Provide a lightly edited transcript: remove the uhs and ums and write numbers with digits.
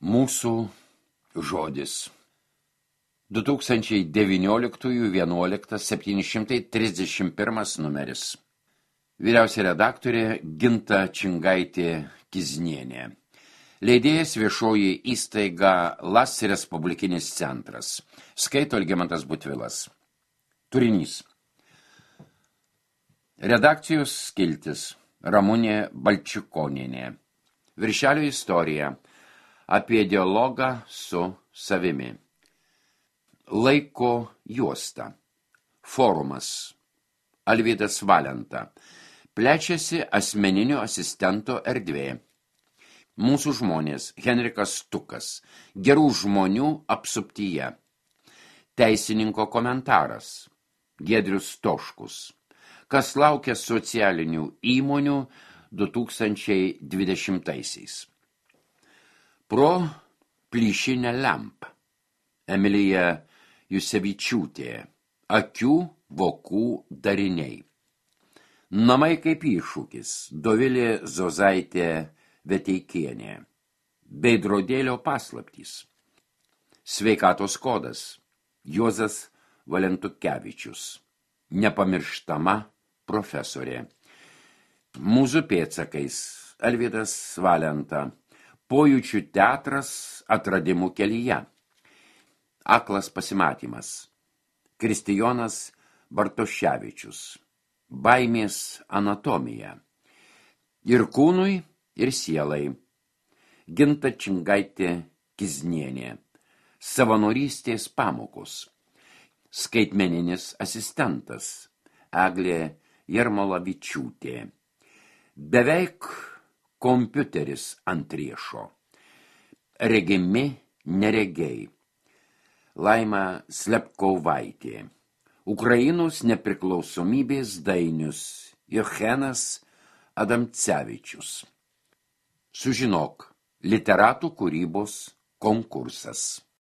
Mūsų žodis. 2019-11-731 numeris. Vyriausia redaktorė Ginta Čingaitė-Kiznienė. Leidėjas viešoji įstaiga LAS Respublikinis centras. Skaito Algimantas Butvilas. Turinys. Redakcijos skiltis. Ramunė Balčikonienė. Viršelio istorija. Apie dialogą su savimi. Laiko juosta. Forumas. Alvydas Valenta. Plečiasi asmeninio asistento erdvė. Mūsų žmonės. Henrikas Stukas. Gerų žmonių apsuptyje. Teisininko komentaras. Giedrius Toškus. Kas laukia socialinių įmonių 2020-aisiais. Pro plyšinę lempą. Emilija Jusevičiūtė. Akių vokų dariniai. Namai kaip iššūkis. Dovilė Zozaitė Veteikienė. Veidrodėlio paslaptys. Sveikatos kodas. Juozas Valentukevičius. Nepamirštama profesorė. Mūsų pėdsakais. Alvydas Valenta. Pojūčių teatras atradimų kelyje. Aklas pasimatymas. Kristijonas Bartoševičius. Baimės anatomija. Ir kūnui, ir sielai. Ginta Čingaitė-Kiznienė. Savanorystės pamokos. Skaitmeninis asistentas. Eglė Jarmolavičiūtė. Beveik kompiuteris ant riešo. Regimi neregiai. Laima Slepkovaitė. Ukrainos nepriklausomybės dainius. Jochenas Adamcevičius. Sužinok. Literatų kūrybos konkursas.